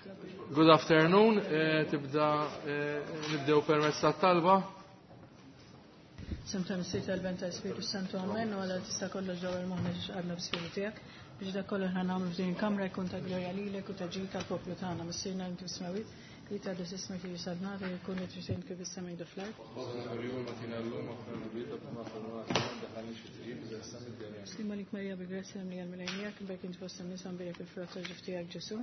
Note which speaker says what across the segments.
Speaker 1: Good afternoon, tibda nibdew permezz tat-talba.
Speaker 2: Semta Missier tal-Ben tal-Spiritu Santu Amen u għala tista' kollox ġewwa l-moħħna ġiex għadna b'Spiritu tiegħek biex dak kollu ħna nagħmlu f'din il-kamra jkun ta' glorja lilek u ta' ġid tal-poplu tagħna. Missierna inti fis-smewwiet, li tgħaddes ismek li jisadna li jkun li trid kif is-sema jdu fl-art. Slima lik Marija bil-grazzja mlija l-Mulej miegħek, imbierek int fost in-nisa mbierek il-frott tal-ġuf tiegħek Ġesù.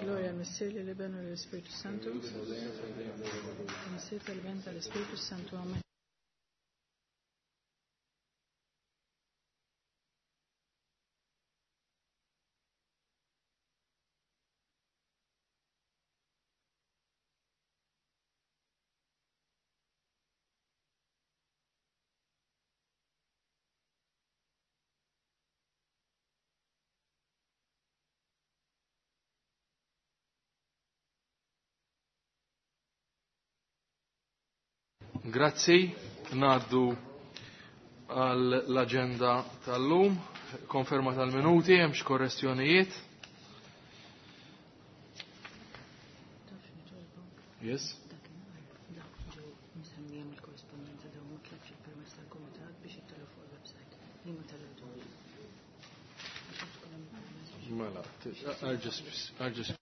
Speaker 2: Glorja l-Missier lill-Iben u lill-Ispirtu Santu. Missier tal-Iben tal-Ispirtu Santu. Amen.
Speaker 1: Grazzi, ngħaddu għall-aġenda tal-lum, konferma tal-minuti, hemmx korrezzjonijiet. Yes? Mela, I'll just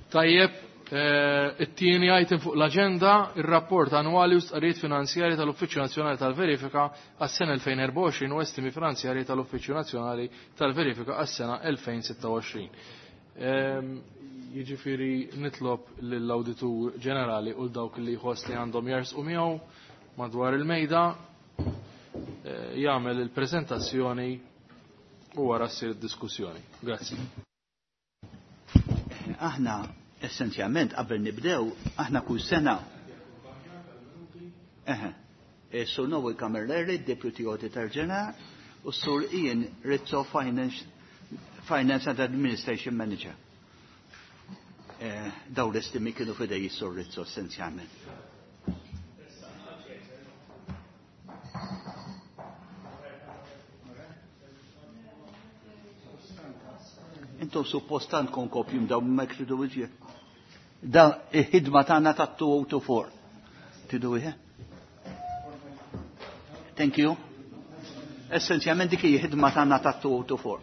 Speaker 1: Tajjeb, it-tieni item fuq l-aġenda, ir-rapport annwali u stqarrijiet finanzjarji tal-Uffiċċju Nazzjonali tal-Verifika għas-sena 2024 u estimi finanzjarji tal-Uffiċċju Nazzjonali tal-Verifika għas-sena 2026. Jiġifieri nitlob lill-Awditur Ġenerali u l-dawk li jħoss li għandhom jersqu miegħu madwar il-mejda jagħmel il-preżentazzjoni. u wara ssir id-diskussjoni. Grazzi.
Speaker 3: Aħna essenzjalment qabel nibdew, aħna kull sena. Eħe. Sur Noel Camilleri, Deputy Auditor General, u Sur Ian Rizzo, Finance, Finance and Administration Manager. Daw l-estimi kienu fidej Sur Rizzo essenzjalment. Intom suppost għandkom kopjum daw ma tridu iġie. Da il-ħidma tagħna ta' 2024. Tridu iħe? Thank you. Essenzjalment dik hija ħidma tagħna ta' 2024.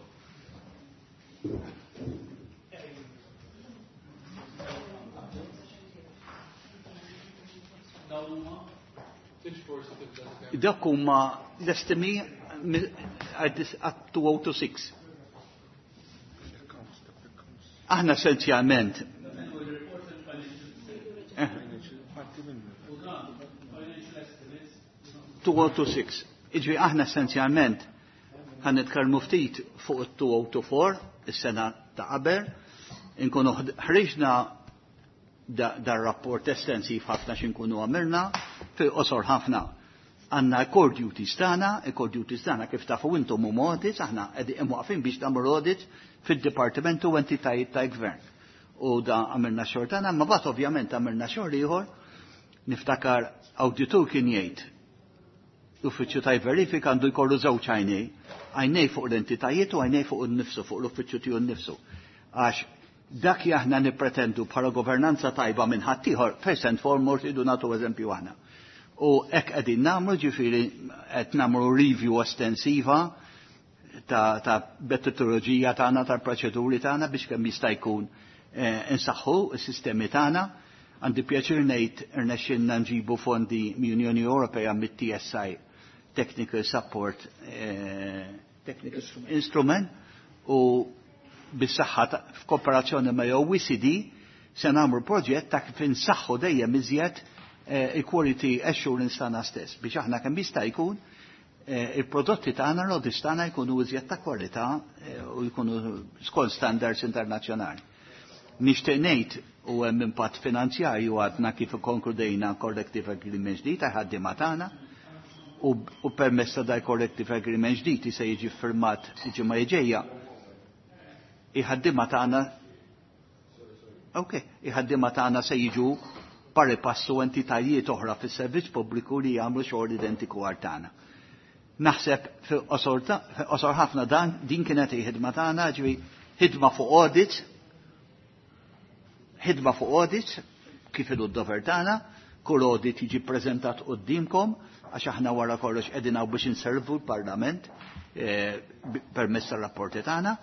Speaker 3: Dak huma l-estimi għat 2026. Aħna essenzjalment 2026. Iġri aħna essenzjalment ħan nitkellmu ftit fuq it-2024, is-sena ta' qabel, inkunu ħriġna dar rapport estensiv ħafna x'inkunu għamilna, fil-qosor ħafna. Għanna core duties tagħna, core duties tagħna kif tafu intom huma audits, aħna qegħdin imwaqfin biex nagħmlu audits fid-dipartiment u entitajiet ta' gvern. U da għamilna xogħol tagħna, ma bat ovvjament għamilna xogħol ieħor, niftakar awditur kien jgħid l-uffiċċju ta' verifika għandu jkollu żewġ għajnej, għajnej fuq l-entitajiet u għajnej fuq innifsu, fuq l-uffiċċju tiegħu nnifsu. Għax dak li aħna nippretendu bħala governanza tajba minn ħaddieħor, first and foremost idu nagħtu eżempju aħna. U hekk qegħdin nagħmlu, ġifieri qed nagħmlu review estensiva ta' metodoloġija tagħna, tal-proċeduri tagħna biex kemm jista' jkun insaħħu s-sistemi tagħna. Għandi pjaċir ngħid irnexxinna nġibu fondi mill-Unjoni Ewropea mit-TSI Technical Support Technical Instrument u bis-saħħa f'kooperazzjoni ma' OECD se nagħmlu proġett ta' kif insaħħu dejjem iżjed il-quality assurance tagħna stess biex aħna kemm jista' jkun il-prodotti tagħna l-audits tagħna jkunu iżjed ta' kwalità u jkunu skont standards internazzjonali. Nixtieq ngħid u hemm impatt finanzjarju għadna kif ikkonkludejna collective agreement ġdid ta' ħaddiema tagħna u permezz ta' dal collective agreement ġdid se jiġi firmat il-ġimgħa li ġejja. Il-ħaddiema tagħna Ok, il-ħaddiema tagħna se jiġu pari passu entitajiet oħra fis-servizz pubbliku li jagħmlu xogħol identiku għal tagħna. Naħseb fil-qosor ħafna dan din kienet il-ħidma tagħna, ġifi ħidma fuq audits, ħidma fuq audits, kif ilu d-dover tagħna, kull audit jiġi ppreżentat qudiemkom għax aħna wara kollox qegħdin hawn biex inservu l-Parlament permezz tar-rapporti tagħna,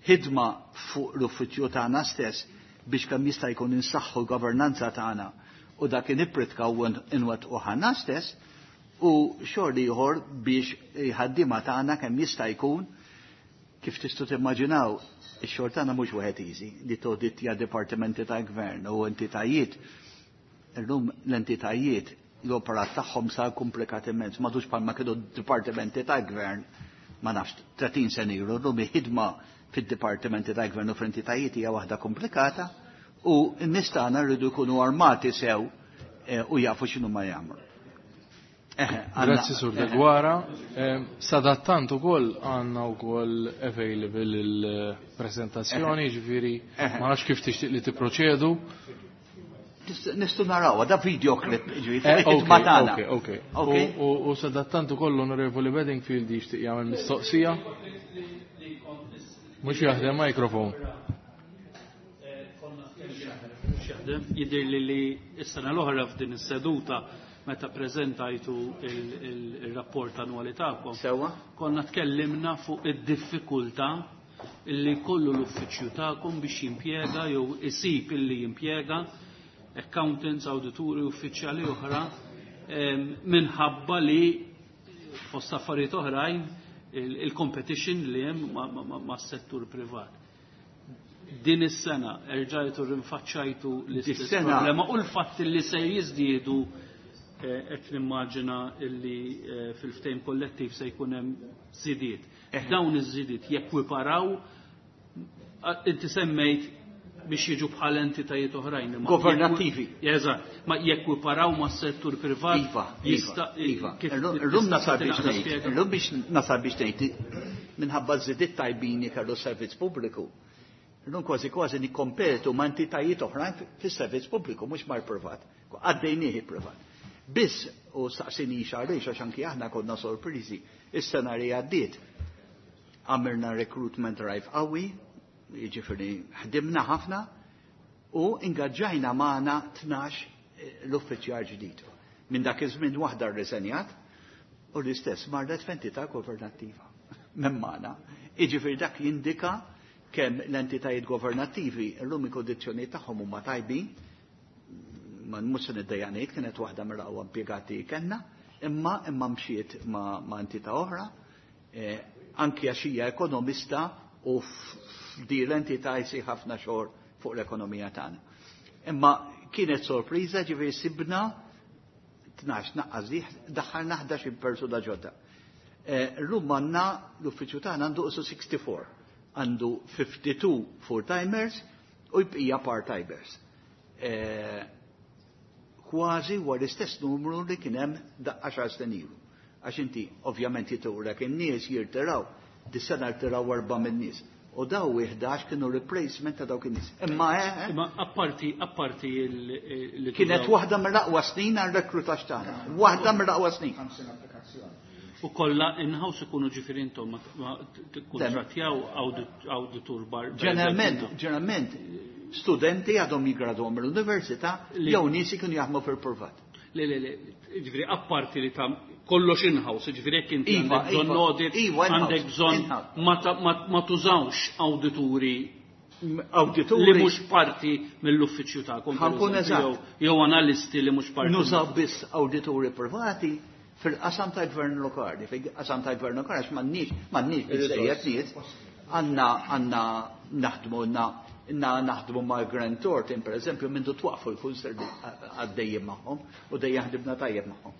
Speaker 3: ħidma fuq l-uffiċċju tagħna stess biex kemm jista' jkun insaħħu l-governanza tagħna u dak inippritka u nwettqu ħanna stess, u xogħol ieħor biex ħaddiema tagħna kemm jista' jkun kif tistgħu timmaġinaw ix-xogħol tagħna mhux wieħed easy li todittja dipartimenti ta' gvern u entitajiet. Illum l-entitajiet l-operat tagħhom sar komplikat immens, m'għadux bħalma kienu dipartimenti ta' gvern ma nafx 30 sena ilu, llum il-ħidma fid-dipartimenti ta' gvern u fl-entitajiet hija waħda komplikata u n-nies tagħna rridu jkunu armati sew u jafu x'inhu ma jagħmlu.
Speaker 1: Grazzi Sur Deguara. Sadattant ukoll għandna wkoll available il-prezentazzjoni, ġifieri ma nafx kif tixtieq li tipproċedu.
Speaker 3: Nistgħu narawha da video clip, ġifieri ħidma tagħna.
Speaker 1: Ok, ok. U sadattant ukoll l-Onorevoli Bedingfield jixtieq jagħmel mistoqsija. Mhux jaħdem mikrofon.
Speaker 4: Jidher li s-sena l-oħra f'din is-seduta meta preżentajtu il-rapport annwali tagħkom.
Speaker 3: Sewwa.
Speaker 4: Konna tkellimna fuq id-diffikultà illi kollu l-uffiċċju tagħkom biex jimpjega jew isib illi jimpjega accountants, awdituri, uffiċjali oħra minħabba li fost affarijiet oħrajn il-competition li hemm mas-settur privat. Din is-sena erġajtu rinfaċċajtu l-istess problema u l-fatt li se jiżdiedu Qed nimmaġina illi fil-ftehim kollettiv se jkun hemm żidiet. Dawn iż-żidiet jekwiparaw, inti semmejt biex jiġu bħal entitajiet oħrajn.
Speaker 3: Governattivi.
Speaker 4: Eżatt, ma jekwiparaw ma' settur privat.
Speaker 3: Iva, iva, iva. Illum nasal biex ngħid, illum biex nasal biex ngħid, minħabba żidiet tajbin kellu servizz pubbliku. Illum kważi kważi nikkompetu ma' entitajiet oħrajn fis-servizz pubbliku, mhux mal-privat. Għaddejnieh privat. Biss, u staqsini għaliex, għax anki aħna konna sorpriżi, is-sena li għaddiet għamilna recruitment drive qawwi, jiġifieri ħdimna ħafna u ingaġġajna magħna 12 l-uffiċjal ġdid. Minn dak iż-żmien waħda rriżenjat u l-istess marret f'entità governattiva minn magħna. Jiġifieri dak jindika kemm l-entitajiet governattivi llum il-kondizzjonijiet tagħhom huma tajbin, ma mhux se niddejjaq ngħid kienet waħda mill-aqwa impjegati kellna, imma mxiet ma' entità oħra, anki għax hija ekonomista u f'di l-entità jsir ħafna xogħol fuq l-ekonomija tagħna. Imma kienet sorpriża, ġifieri sibna 12 naqqas di, daħħalna 11 persuna ġodda. Llum għandna l-uffiċċju tagħna għandu qisu 64, għandu 52 full-timers u jbqija part-timers. Kważi huwa l-istess numru li kien hemm daqqa xar snin ilu. Għax inti ovvjament jitulek in-nies jirtiraw, dis-sena rtiraw 4 min-nies. U daw 11 kienu replacement ta' dawk in-nies. Imma
Speaker 4: Imma apparti li
Speaker 3: kienet
Speaker 4: tużaw
Speaker 3: waħda mill-aqwa snin għal rekrutaġġ tagħna. Waħda mill-aqwa snin.
Speaker 5: 50 applikazzjoni.
Speaker 4: U kollha in-house ikunu ġifieri intom ma tikkuntrattjaw awditur bar.
Speaker 3: Ġeneralment studenti għadhom jigradwaw mill-università jew nies ikunu jaħdmu fil-privat.
Speaker 4: Le, le, le, ġifieri apparti li ta' kollox in-house, ġifieri jekk inti għandek bżonn audit, għandek bżonn ma tużawx awdituri
Speaker 3: Awdituri
Speaker 4: li mhux parti mill-uffiċċju tagħkom, per
Speaker 3: Ħankun
Speaker 4: eżempju,
Speaker 3: eżatt.
Speaker 4: jew analisti li mhux parti.
Speaker 3: Nużaw biss awdituri privati fil-qasam tal-gvern lokali, fil-qasam tal-gvern lokali għax m'għandniex biżejjed nies, għandna naħdmu, naħdmu ma' Grant Thornton, per eżempju, mindu twaqfu l-kunsill għaddejjem magħhom u dejjem ħdibna tajjeb magħhom.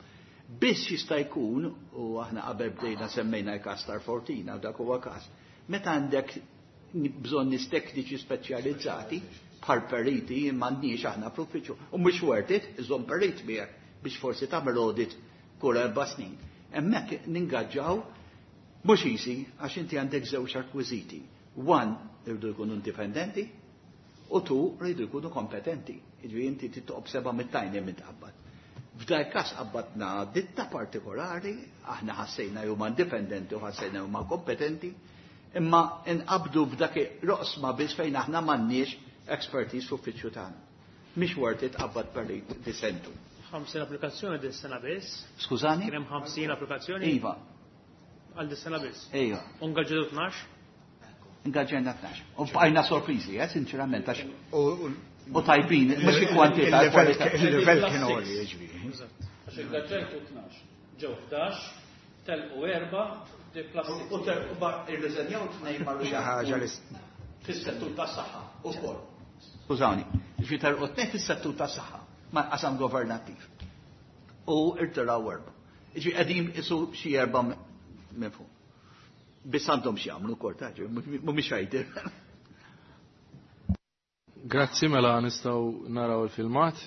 Speaker 3: Biss jista' jkun, u aħna qabel bdejna semmejna l-każ tal-Fortina, u dak huwa każ, meta għandek bżonn nies tekniċi speċjalizzati bħal periti m'għandniex aħna fl-uffiċċju, u mhux worth it, iżomm perit miegħek biex forsi tagħmel audit kull 4 snin. Hemmhekk ningaġġaw mhux easy għax inti għandek żewġ rekwiżiti. One, irridu jkunu indipendenti, u two, rridu jkunu kompetenti. Jiġifieri inti tittoqob 7 mit-tajn hemm intqabbad. F'dal każ qabbadna ditta partikolari, aħna ħassejna huma indipendenti u ħassejna huma kompetenti, imma inqabdu f'dak roqsma biss fejn aħna m'għandniex expertise fl-uffiċċju tagħna. Mhix worth it qabbad perit disentu.
Speaker 6: 50 applikazzjoni dis-sena biss.
Speaker 3: Skużani?
Speaker 6: Kien hemm 50 applikazzjoni?
Speaker 3: Iva.
Speaker 6: Għal dis-sena biss.
Speaker 3: Iva.
Speaker 6: U ngaġġetu 12?
Speaker 3: Ngaġġejna 12. U bqajna sorpriżi, sinċerament, għax u tajbin, mhux il-kwantità, il-kwalità.
Speaker 5: Il-livell kien għoli, jiġifieri.
Speaker 6: Eżatt.
Speaker 4: Għax ingaġġejtu 12, ġew 11, telqu 4, di plastik.
Speaker 3: U telqu irriżenjaw tnejn marru
Speaker 5: Xi ħaġa li
Speaker 3: fis-settur tas-saħħa ukoll. Skużawni, ġifieri telqu 2 fis-settur tas-saħħa ma' qasam governattiv. U irtiraw 4. Ġifieri qegħdin isu xi 4 minn fuq. Biss għandhom xi jagħmlu wkoll, ta' ġifieri, mhumiex għajdir.
Speaker 1: Grazzi, mela nistgħu naraw il-filmat.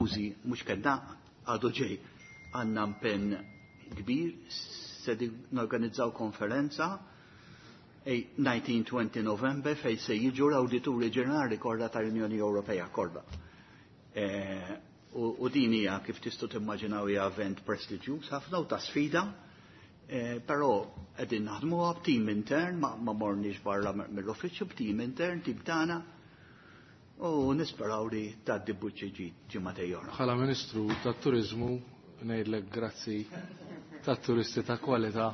Speaker 3: Użi mhux kellna għadu ġej għandna impenn kbir se norganizzaw konferenza 19-20 November fej se jiġu l-Awdituri Ġenerali kollha tal-Unjoni Ewropea kollha. U din hija kif tistgħu timmaġinaw hija event prestiġjuż ħafna u ta' sfida, però qegħdin naħdmuha b'tim intern, ma morniex barra mill-uffiċċju, b'tim intern, tim tagħna, u nisperaw li tgħaddi buċċi ġimgħatej oħra.
Speaker 1: Bħala Ministru tat-Turiżmu ngħidlek grazzi tat-turisti ta' kwalità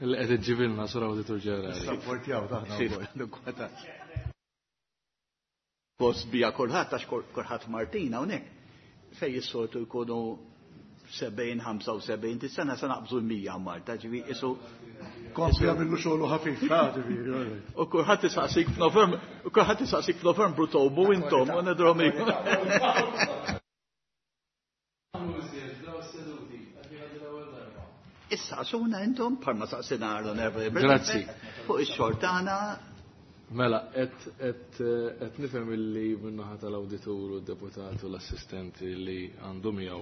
Speaker 1: li qed iġġibilna sur Awditur Ġenerali.
Speaker 7: Sapportjaw taħna wkoll.
Speaker 3: Post bija kulħadd għax kulħadd Martina hawnhekk fej is-soltu jkunu 70, 75 sena se naqbżu l-100 Malta, ġifi isu.
Speaker 7: Kompli għamillu xogħlu ħafif, ġifieri.
Speaker 3: U kulħadd isaqsik f'Novembru, u kulħadd isaqsik f'Novembru tobu intom u nidhom. Issa suna intom parma saqsina l-onorevoli.
Speaker 1: Grazzi.
Speaker 3: Fuq ix-xogħol tagħna.
Speaker 1: Mela, qed nifhem illi min-naħa tal-awditur u d-deputat u l-assistenti li għandhom jew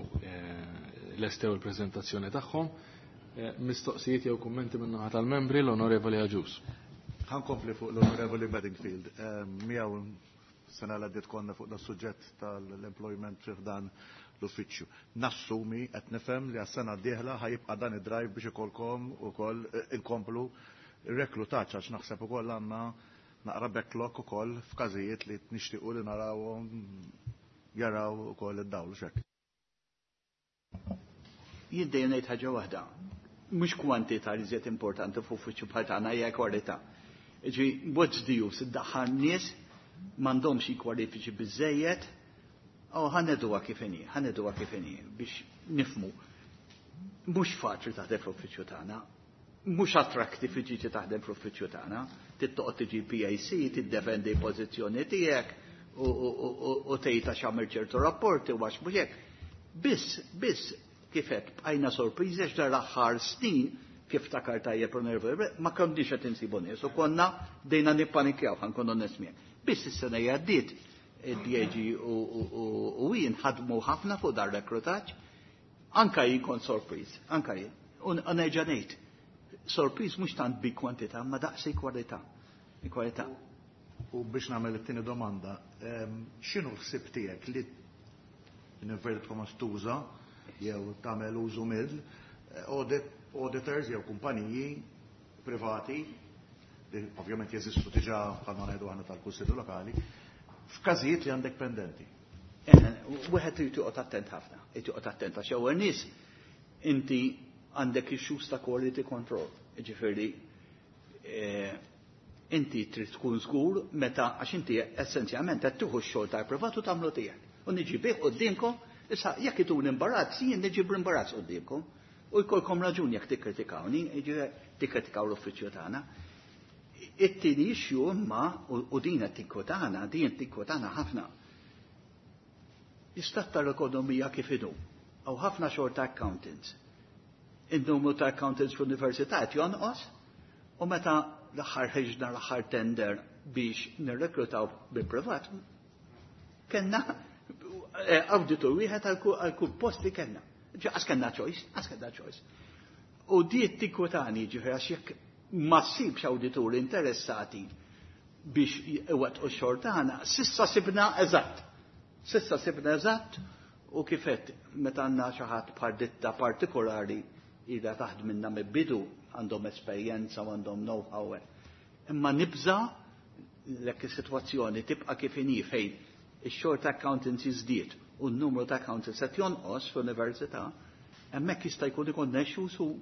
Speaker 1: lestew il-preżentazzjoni tagħhom. Mistoqsijiet jew kummenti min-naħa tal-membri l-Onorevoli Agius.
Speaker 7: Ħankompli fuq l-Onorevoli Bedingfield. Miegħu sena l għaddiet konna fuq das-suġġett tal-employment fi dan l-uffiċċju. Nassumi qed nifhem li għas-sena d-dieħla ħajibqa' dan id-drive biex ikolkom ukoll inkomplu reklutaġġ għax naħseb ukoll għandna naqra backlog ukoll f'każijiet li nixtiequ li narawhom jaraw ukoll id-dawl x'hekk.
Speaker 3: Jien dejjem ngħid ħaġa waħda. Mhux kwantità li żjed importanti fuq uffiċċju bħal tagħna hija kwalità. Ġi what's the use iddaħħal nies m'għandhomx xi kwalifiċi biżejjed, u ħaneduha kif inhi, ħaneduha kif inhi biex nifmu. Mhux faċli taħdem fl-uffiċċju tagħna, mhux attractive tiġi taħdem fl-uffiċċju tagħna, tittoqgħod tiġi PAC, tiddefendi pożizzjoni tiegħek u tgħid għax għamel ċertu rapporti u għax mhux hekk. Biss, biss kif qed bqajna sorpriżi għax dar l-aħħar snin kif takar tajjeb u nervu, ma konniex qed insibu nies u konna dejna nippanikjaw ħankun onest miegħek. Biss is-sena li għaddiet id-DAG u jien ħadmu ħafna fuq dar rekrutaġġ, anka jien kont sorpriż, anka jien. U nerġa' ngħid, sorpriż mhux tant bi kwantità, ma daqsi kwalità. Kwalità.
Speaker 7: U biex nagħmel it-tieni domanda, x'inhu l-ħsieb tiegħek li inverted commas tuża jew tagħmel użu mill auditors jew kumpaniji privati li ovvjament jeżistu diġà bħalma ngħidu aħna tal-Kunsillu Lokali, f'każijiet li għandek pendenti.
Speaker 3: Wieħed irid joqgħod attent ħafna, irid joqgħod attent għax ewwel nies inti għandek issues ta' quality control. Ġifieri inti trid tkun żgur meta għax inti essenzjalment qed tieħu x-xogħol tal-privat u tagħmlu tiegħek. U niġi bih quddiemkom, issa jekk itun imbarazz, jien niġi b'imbarazz quddiemkom. U jkollkom raġun jekk tikkritikawni, jiġifieri tikkritikaw l-uffiċċju tagħna. It-tieni issue imma u din qed tinkwetana, din tinkwetana ħafna. L-istat tal-ekonomija kif inhu. Hawn ħafna xogħol ta' accountants. In-numru ta' accountants fl-università qed jonqos u meta l-aħħar ħriġna l-aħħar tender biex nirreklutaw bil-privat, kellna awditur wieħed għal kull post li kellna. Għas kellna choice, għas kellna choice. U di tinkwetani ġifieri għax jekk ma ssibx awdituri interessati biex iwettqu x-xogħol tagħna, sissa sibna eżatt. Sissa sibna eżatt u kifet meta għandna xi ħadd bħal ditta partikolari ilha taħdem minna mill-bidu għandhom esperjenza u għandhom know-how. Imma nibża lek is-sitwazzjoni tibqa' kif inhi fejn ix-xogħol ta' accountancy żdied u n-numru ta' accountants qed jonqos fl-università, hemmhekk jista' jkun ikun issues u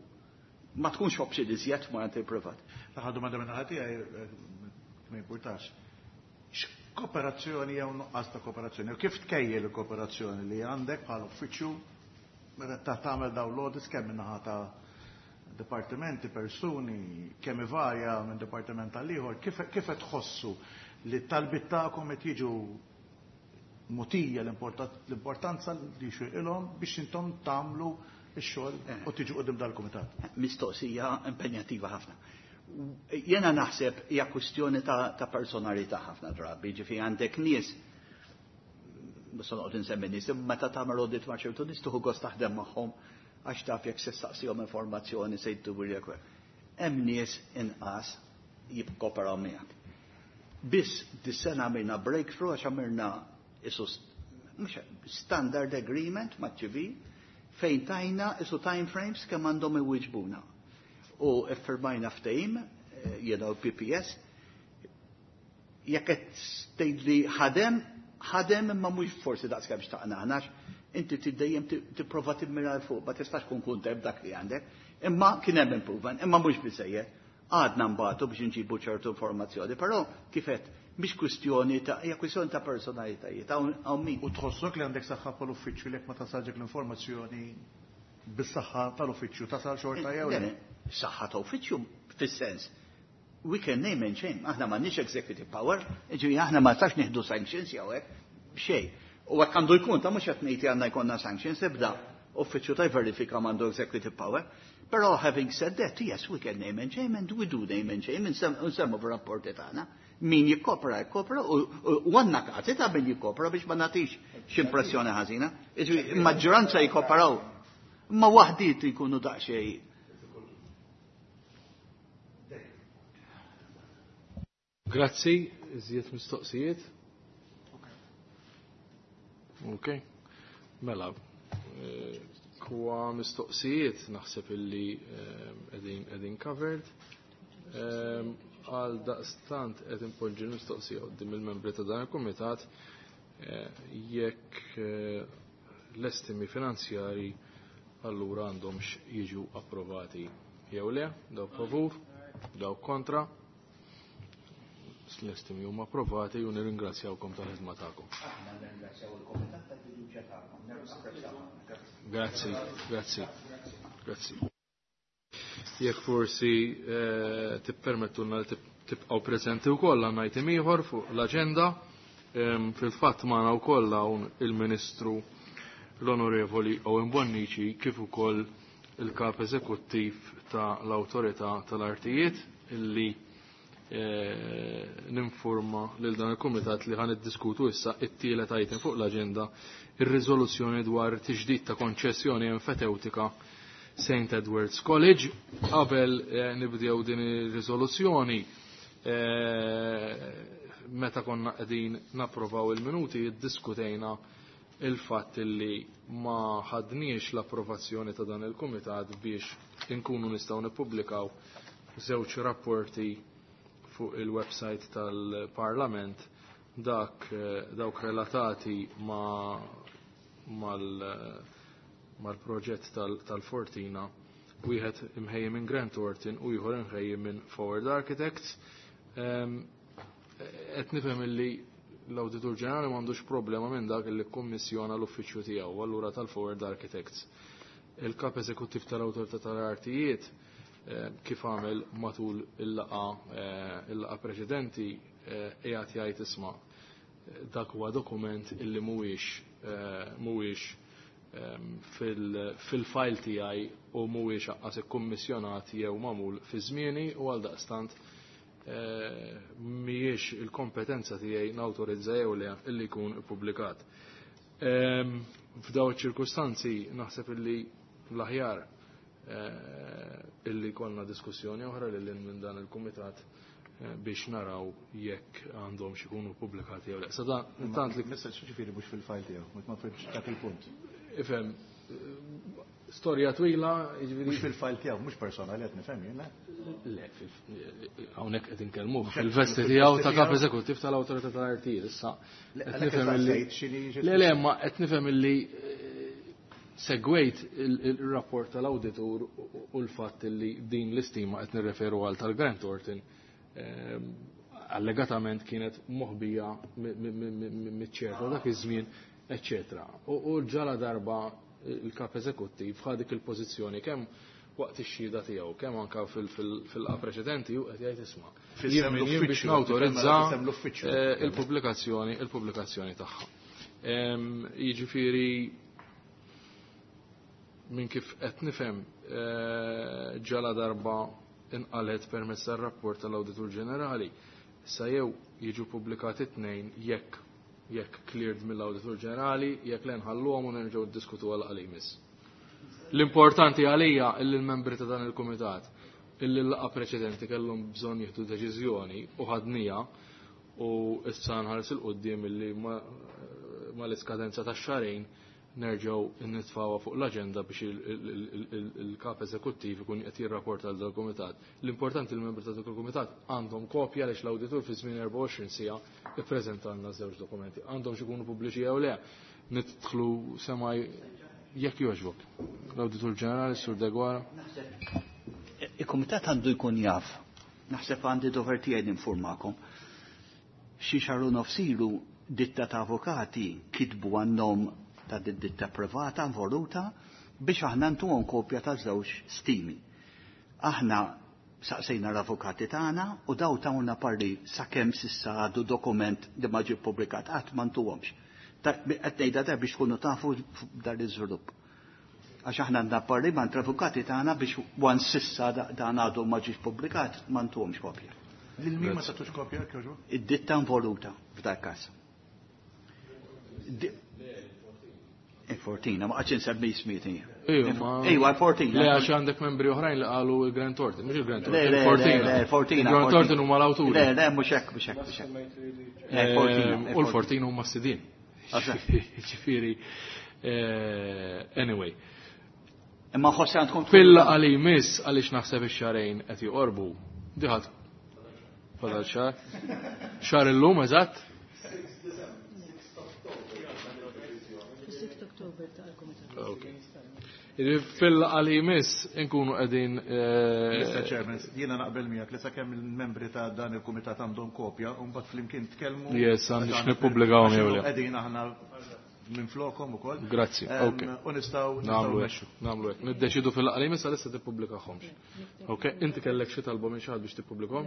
Speaker 3: ma tkunx option iżjed ma' il-privat.
Speaker 7: L-aħħar domanda minn ħadd tiegħi ma jimpurtax. X'kooperazzjoni jew nuqqas ta' kooperazzjoni? U kif tkejjel il-kooperazzjoni li għandek bħal uffiċċju meta ta' tagħmel dawn l-audits kemm min-naħa ta' dipartimenti, persuni, kemm ivarja minn dipartiment għal ieħor, kif qed tħossu li t-talbiet tagħkom qed jiġu mutija l-importanza li xilhom biex intom tagħmlu x-xogħol u tiġu qudiem dal-kumitat?
Speaker 3: Mistoqsija impenjattiva ħafna. Jena naħseb hija kwistjoni ta' personalità ħafna drabi, ġifi għandek nies mhux se noqgħod insemmi nies, imma meta tagħmel audit ma' ċertu nies tieħu gost taħdem magħhom għax taf jekk se ssaqsihom informazzjoni se jtubulek. Hemm nies inqas jikkoperaw miegħek. Biss dis-sena għamilna breakthrough għax għamilna isu mhux standard agreement maċ-ċivil fejn tajna isu time frames kemm għandhom iwiġbuna. U iffirmajna ftehim, jiena u PPS, jekk qed tgħid li ħadem, ħadem imma mhux forsi daqs kemm xtaqna aħna inti dejjem tipprova timmira 'l fuq, ma tistax tkun kuntent b'dak li għandek. Imma kien hemm improvement, imma mhux biżejjed. Għadna mbagħtu biex nġibu ċertu informazzjoni, però kif qed mhix kwistjoni ta' hija kwistjoni ta' personalitajiet, hawn min.
Speaker 7: U tħossok li għandek saħħa bħal uffiċċju li jekk ma tasalġek l-informazzjoni bis-saħħa tal-uffiċċju tasal xorta jew le?
Speaker 3: Saħħa ta' uffiċċju fis-sens. We can name and shame. Aħna m'għandniex executive power, ġifieri aħna ma nistax nieħdu sanctions jew hekk, xejn. U hekk għandu jkun ta' mhux qed ngħid għandna jkollna sanctions, ebda uffiċċju ta' verifika m'għandu executive power. Però having said that, yes, we can name and shame and we do name and shame, nsemmu fir-rapporti tagħna. Min jikkopra, jikkopra, u għandna każi ta' min jikkopra biex ma nagħtix x'impressjoni ħażina. Maġġoranza jikkoperaw, ma waħdiet jkunu daqsxejn.
Speaker 1: Grazzi, iżjed mistoqsijiet. Ok, mela, kwa mistoqsijiet naħseb illi qegħdin covered. Għal daqstant qed impoġġi mistoqsija quddiem il-membri ta' dan il-kumitat jekk l-estimi finanzjari allura għandhomx jiġu approvati jew le, dawk favur, dawk kontra. L-estimi huma approvati u nirringrazzjawkom tal-ħidma tagħkom.
Speaker 3: Aħna nirringrazzjaw il-kumitat tal-fiduċja tagħkom.
Speaker 1: Grazzi, grazzi, grazzi. Jekk forsi tippermettulna li tibqgħu preżenti wkoll għandna item ieħor fuq l-aġenda. Fil-fatt magħna wkoll hawn il-Ministru l-Onorevoli Owen Bonnici kif ukoll il-Kap Eżekuttiv ta' l-Awtorità tal-Artijiet illi ninforma lil dan il-Kumitat li ħan iddiskutu issa it-tielet item fuq l-aġenda, ir-riżoluzzjoni dwar tiġdid ta' konċessjoni enfetewtika St. Edward's College. Qabel nibdew din ir-riżoluzzjoni, meta konna qegħdin napprovaw il-minuti, iddiskutejna il-fatt li ma ħadniex l-approvazzjoni ta' dan il-Kumitat biex inkunu nistgħu nippubblikaw żewġ rapporti fuq il-website tal-Parlament, dawk relatati mal-proġett tal-Fortina, wieħed imħejji minn Grant Thornton u ieħor imħejji minn Forward Architects. Qed nifhem illi l-Awditur Ġenerali m'għandux problema minn dak li kkummissjona l-uffiċċju tiegħu, allura tal-Forward Architects. Il-Kap Eżekuttiv tal-Awtorità tal-Artijiet kif għamel matul il-laqa preċedenti qiegħed jgħid isma' dak huwa dokument illi mhuwiex fil-file tiegħi u mhuwiex aqqas ikkummissjonat jew magħmul fi żmieni u għal daqstant mhijiex il-kompetenza tiegħi nawtorizza jew le illi jkun ippubblikat. F'daw iċ-ċirkustanzi naħseb illi l-aħjar illi konna diskussjoni oħra lil minn dan il-kumitat biex naraw jekk għandhom xikunu pubblikati jew le. Sa dan tant li
Speaker 7: Messaġġ ġifieri mhux fil-file tiegħu, ma fhimtx dak il-punt.
Speaker 1: Ifhem, storja twila, jiġifieri
Speaker 7: Mhux fil-file tiegħu, mhux personali qed nifhem jien, le?
Speaker 1: Le, hawnhekk qed inkellmuh fil-vesti tiegħu ta' kap eżekuttiv tal-Awtorità tal-Artijiet issa.
Speaker 7: Le,
Speaker 1: Qed
Speaker 7: għalhekk
Speaker 1: nifhem illi
Speaker 7: saqsejt x'inhi xi
Speaker 1: Le, le, ma qed nifhem illi segwejt il-rapport tal-awditur u l-fatt li din l-istima qed nirreferu għal tal-Grant Thornton allegatament kienet moħbija miċ-ċerta dak iż-żmien, eċċetera. U ġala darba il-kap eżekuttiv ħa dik il-pożizzjoni kemm waqt ix-xhieda tiegħu, kemm anke fil-laqgħa preċedenti u qed jgħid isma'.
Speaker 7: Fis-sem
Speaker 1: Jien min jien biex
Speaker 7: l-uffiċċju,
Speaker 1: nawtorizza,
Speaker 7: fis-sem l-uffiċċju.
Speaker 1: il-pubblikazzjoni tagħha. Jiġifieri minn kif qed nifhem ġala darba inqalet permezz tar-rapport tal-Awditur Ġenerali, sa jew jiġu pubblikati tnejn jekk Jekk cleared mill-Awditur Ġenerali, jekk le nħalluhom u nerġgħu ddiskutu għal li jmiss. L-importanti għalija illi l-membri ta' dan il-kumitat illi l-laqgħa preċedenti kellhom bżonn jieħdu deċiżjoni u ħadnija u issa nħares 'il quddiem illi ma l-iskadenza ta' xarejn nerġgħu nitfgħuha fuq l-aġenda biex il-kap eżekuttiv ikun qed jirrapporta għal dal-kumitat. L-importanti li l-membri ta' dak il-kumitat għandhom kopja għaliex l-awditur fi żmien 24 siegħa ippreżentalna żewġ dokumenti. Għandhom xi jkunu pubbliċi jew le, nidħlu semaj jekk jogħġbok. L-Awditur Ġenerali, Sur Degwara.
Speaker 3: Il-Kumitat għandu jkun jaf. Naħseb għandi dover tiegħi ninformakom. Xi xahar u nofs ilu ditta ta' avukati kitbu għan-nom ta' ditta privata involuta biex aħna ntuhom kopja ta' żewġ stimi. Aħna saqsejna l-avukati tagħna u daw tawna parli sakemm s'issa għadu dokument li ma ġie ppubblikat qatt ma ntuhomx. Qed ngħidha da biex tkunu tafu dan l-iżvilupp. Għax aħna għandna parli ma' l-avukati tagħna biex wan s'issa dan għadu ma ġiex pubblikat ma ntuhomx kopja.
Speaker 7: Lil min ma tatux kopja kjoġu?
Speaker 3: Id-ditta involuta f'dak każ. Il-Fortina, ma qgħadx insemmi ismieti. Ejwa, il-Fortina.
Speaker 1: Le, għax għandek membri oħrajn li qalu il-Grant Thornton, mhux il-Grant
Speaker 3: Thornton, il-Fortina. Le, Fortina.
Speaker 1: Il-Grant Thornton huma l-awturi.
Speaker 3: Le, le, mhux hekk, mhux hekk, mhux
Speaker 1: hekk. U l-Fortina huma s-sidien. Ġifieri, anyway.
Speaker 3: Imma ħossi għandkom
Speaker 1: Fil-laqgħa li jmiss għaliex naħseb ix-xarejn qed joqorbu. Diħat fadal xahar. Xahar illum eżatt? Fil-laqgħa li jmiss inkunu qegħdin.
Speaker 7: Mr. Chairman, jiena naqbel miegħek li sakemm il-membri ta' dan il-kumitat għandhom kopja u mbagħad flimkien tkellmu.
Speaker 1: Yes, għandix nippubblikawhom jew le.
Speaker 7: Qegħdin aħna minn flokom ukoll.
Speaker 1: Grazzi, ok.
Speaker 7: U nistgħu
Speaker 1: nagħmlu hekk, nagħmlu hekk. Niddeċidu fil-laqgħa li jmiss għalissa tippubblikahomx. Ok, inti kellek xi talba minn xi ħadd biex tippubblikhom?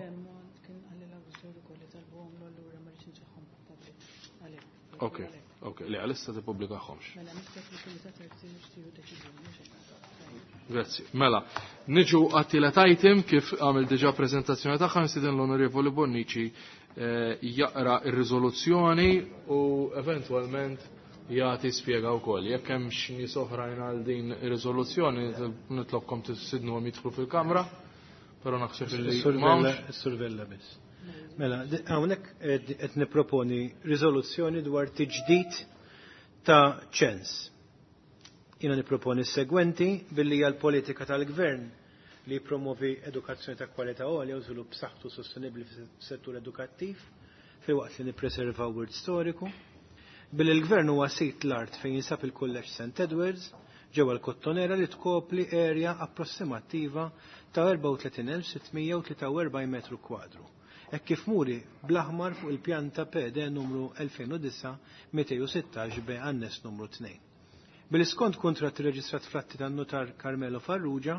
Speaker 1: Ok, ok, le għalissa tippubblikahomx. Grazzi. Mela, niġu għat-tielet item kif għamil diġà prezentazzjoni tagħha nistieden l-Onorevoli Bonnici jaqra ir-riżoluzzjoni u eventwalment jagħti spjega wkoll. Jekk hemm xi nies oħrajn għal din ir-riżoluzzjoni nitlobkom tissidnuhom jidħlu fil-kamra, però naħseb li m'hawnx.
Speaker 8: Is-survella biss. Mela, hawnhekk qed nipproponi riżoluzzjoni dwar tiġdid ta' ċens. Jiena nipproponi s-segwenti billi hija l-politika tal-gvern li jippromovi edukazzjoni ta' kwalità għolja u żvilupp b'saħħtu sostenibbli fis-settur edukattiv filwaqt li nippreservaw wirt storiku. Billi l-gvern huwa sit l-art fejn jinsab il-Kulleġġ St. Edwards ġewwa l-Kottonera li tkopli erja approssimattiva ta' 34,643 metru kwadru. Hekk kif muri bl-aħmar fuq il-pjanta PD numru 2009-216 B annes numru 2. Bil-iskont kuntratt irreġistrat fl-atti tan-notar Carmelo Farrugia,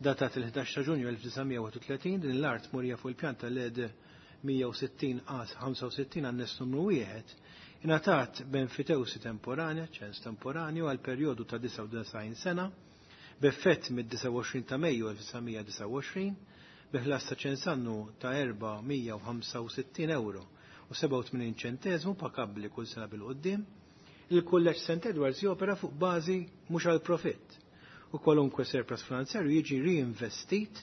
Speaker 8: datat il-11 ta' Ġunju 1931, din l-art murija fuq il-pjanta LED 160 A 65 annes numru 1, ingħatat b'enfitewsi temporanja, ċens temporanju, għal perjodu ta' 99 sena, b'effett mid-29 ta' Mejju 1929, bi ħlas ta' ċens annu ta' 465 euro u 87 ċenteżmu pakabbli kull sena bil-qoddim. Il-Kulleġġ St. Edwards jopera fuq bażi mhux għal profitt u kwalunkwe surplus finanzjarju jiġi reinvestit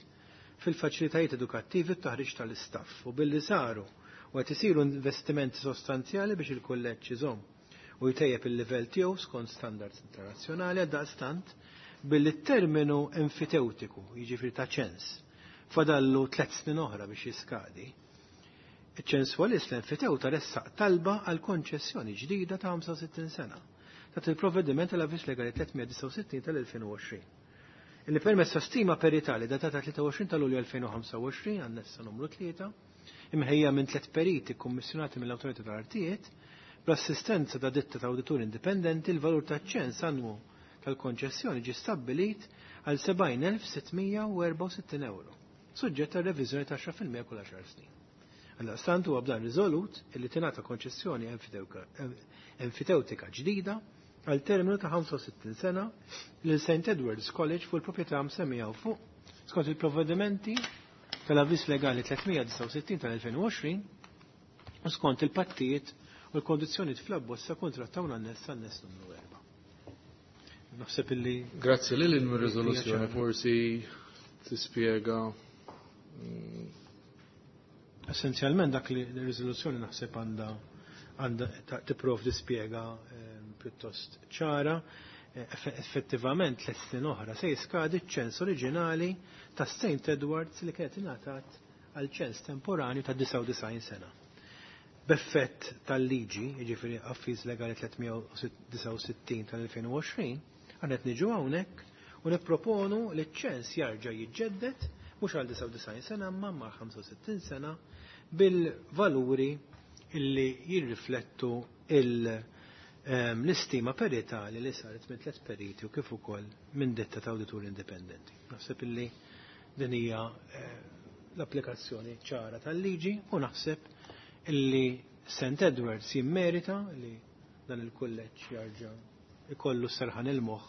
Speaker 8: fil-faċilitajiet edukattivi u t-taħriġ tal-istaff u billi saru u qed isiru investimenti sostanzjali biex il-kulleġġ iżomm u jtejjeb il-livell tiegħu skont standards internazzjonali għal daqstant billi t-terminu enfiteutiku, jiġifieri ta' ċens, fadallu 3 snin oħra biex jiskadi. Iċ-ċenswalist l-enfitewta ressaq talba għal konċessjoni ġdida ta' 65 sena ta' il-provvediment tal-avviż legali 369 tal-2020. Illi permezz ta' stima peritali datata 23 ta' Lulju 2025 annessa numru 3 imħejja minn 3 periti kkummissjonati mill-Awtorità tal-Artijiet bl-assistenza ta' ditta ta' awdituri indipendenti l-valur ta' ċens annwu tal-konċessjoni ġie stabbilit għal 70,664 euro, suġġett għal reviżjoni ta' 10% kull 10 snin. Għaldaqstant huwa b'dan riżolut illi tingħata konċessjoni enfitewtika ġdida għal terminu ta' 65 sena lil St. Edwards College fuq il-proprjetà msemmija fuq skont il-provvedimenti tal-avviż legali 369 tal-2020 u skont il-pattijiet u l-kondizzjonijiet fl-abbozz ta' kuntratt hawn anness anness numru 4. Naħseb illi
Speaker 1: Grazzi lil il-riżoluzzjoni forsi tispjega
Speaker 8: Essenzjalment dak li r-riżoluzzjoni naħseb għandha għandha tipprovdi spjega pjuttost ċara. Effettivament tliet snin oħra se jiskadi ċ-ċens oriġinali ta' St. Edwards li kienet ingħatat għal ċens temporanju ta' 99 sena. B'effett tal-liġi, jiġifieri Avviż Legali 369 tal-2020, aħna qed niġu hawnhekk u nipproponu li ċ-ċens jarġa' jiġġedded mhux għal 99 sena imma ma' 65 sena bil-valuri illi jirriflettu l-istima peritali li saret minn tliet periti u kif ukoll minn ditta ta' awdituri indipendenti. Naħseb illi din hija l-applikazzjoni ċara tal-liġi u naħseb illi St. Edwards jimmerita li dan il-kulleġġ jarġa' ikollu serħan il-moħħ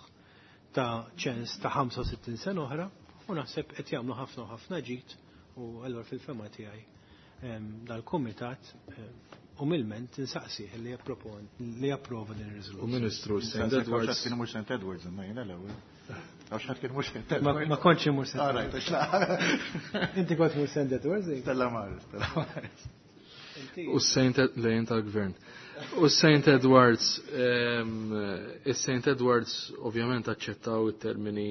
Speaker 8: ta' ċens ta' 65 sena oħra u naħseb qed jagħmlu ħafna u ħafna ġid u allura fil-fema tiegħi dal-kumitat umilment insaqsih li jappropon li japprova din ir-riżoluzzjoni.
Speaker 1: U Ministru St. Edwards.
Speaker 7: Kien mhux St. Edwards imma jiena l-ewwel. Għax ħadd kien mhux St. Edwards.
Speaker 8: Ma kontx imur St.
Speaker 7: All right,
Speaker 8: Inti kont mur St. Edwards?
Speaker 7: Stella Maris, Stella Maris.
Speaker 1: U Saint lejn tal-gvern. U St. Edwards, is-St. Edwards ovvjament aċċettaw it-termini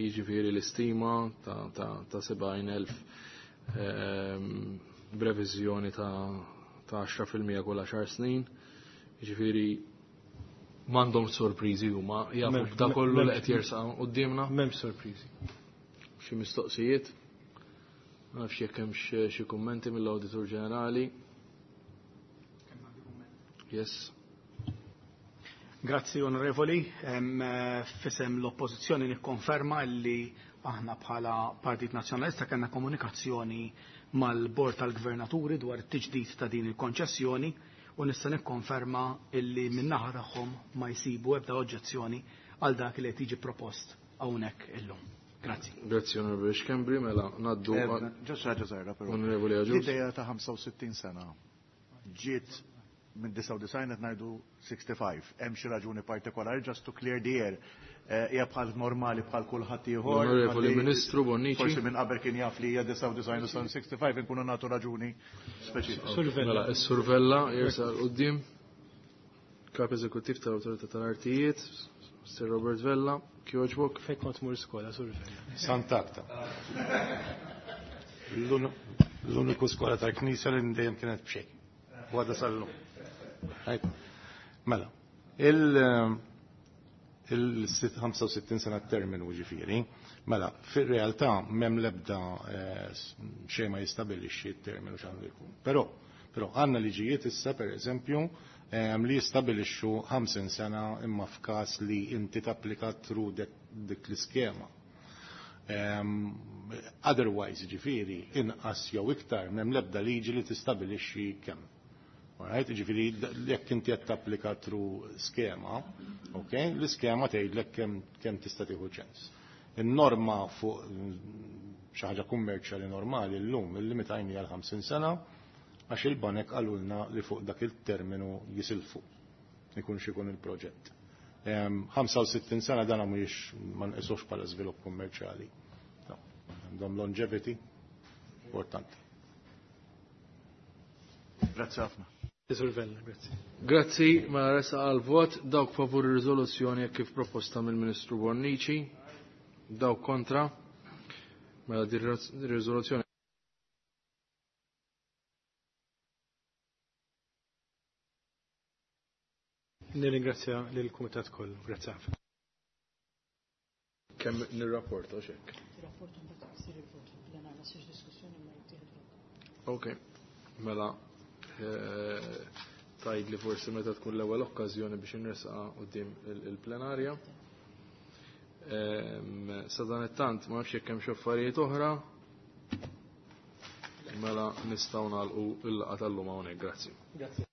Speaker 1: jiġifieri l-istima ta' 70,000 b'reviżjoni ta' 10% kull 10 snin. Jiġifieri m'għandhom sorpriżi huma jafu b'da kollu li qed jersaq quddiemna.
Speaker 8: M'hemmx sorpriżi.
Speaker 1: Xi mistoqsijiet? Ma nafx jekk hemmx xi kummenti mill-Awditur Ġenerali. Yes.
Speaker 9: Grazzi onorevoli, fisem l-oppożizzjoni nikkonferma li aħna bħala Partit Nazzjonalista kellna komunikazzjoni mal-Bord tal-Gvernaturi dwar it-tiġdid ta' din il-konċessjoni u nista' nikkonferma illi min-naħa tagħhom ma jsibu ebda oġġezzjoni għal dak li qed jiġi propost hawnhekk illum. Grazzi.
Speaker 1: Grazzi Onorevoli Schembri, mela ngħaddu
Speaker 7: Ġast ħaġa żgħira però.
Speaker 1: Onorevoli Agius.
Speaker 7: L-idea ta' 65 sena ġiet minn 99 qed ngħidu 65. Hemm xi raġuni partikolari just to clear the air. Hija bħal normali bħal kulħadd ieħor.
Speaker 1: Onorevoli Ministru Bonnici.
Speaker 7: Forsi minn qabel kien jaf li hija 99 u 65 inkunu nagħtu raġuni speċifika.
Speaker 1: Mela, is-Sur Vella jersaq 'l quddiem. Kap Eżekuttiv tal-Awtorità tal-Artijiet, Sir Robert Vella, kjoġbok.
Speaker 8: Fejn kont mur skola, Sur Vella?
Speaker 10: Sant'Agata. L-uniku skola tal-Knisja li dejjem kienet b'xejn. U għadha sal-lum. Mela, il-65 sena terminu ġifieri, mela, fir-realtà m'hemm l-ebda xejn ma jistabilixxi t-terminu x'għandu jkun. Però għandna liġijiet issa pereżempju li jistabilixxu 50 sena imma f'każ li inti tapplika through dik l-iskema. Otherwise ġifieri inqas jew iktar m'hemm l-ebda liġi li tistabilixxi kemm. Alright, ġifieri jekk inti qed tapplika through skema, okay, l-iskema tgħidlek kemm tista' tieħu ċens. In-norma fuq xi ħaġa kummerċjali normali llum illimitajni għal 50 sena għax il-banek qalulna li fuq dak il-terminu jisilfu ikun x'ikun il-proġett. 65 sena dan mhuwiex ma nqisux bħala żvilupp kummerċjali. Għandhom longevity importanti.
Speaker 7: Grazzi ħafna.
Speaker 8: Sur Vella, grazzi.
Speaker 1: Grazzi, mela resa għal vot dawk favur ir-riżoluzzjoni kif proposta mill-Ministru Bonnici, dawk kontra, mela din ir-riżoluzzjoni
Speaker 8: Nirringrazzja lill-Kumitat kollu. Grazzi ħafna.
Speaker 1: Kemm nirrapporta x'hekk?
Speaker 2: Rapport mbagħad isir il-vot fil-plenarja, ma ssirx diskussjoni ma jittieħed vot.
Speaker 1: Ok, mela tajd li forsi meta tkun l-ewwel okkażjoni biex inresqa quddiem il-plenarja. Sa dan it-tant ma nafx jekk hemm xi affarijiet oħra. Mela nistgħu nagħlqu l-laqgħa tal-lum hawnhekk. Grazzi.
Speaker 8: Grazzi.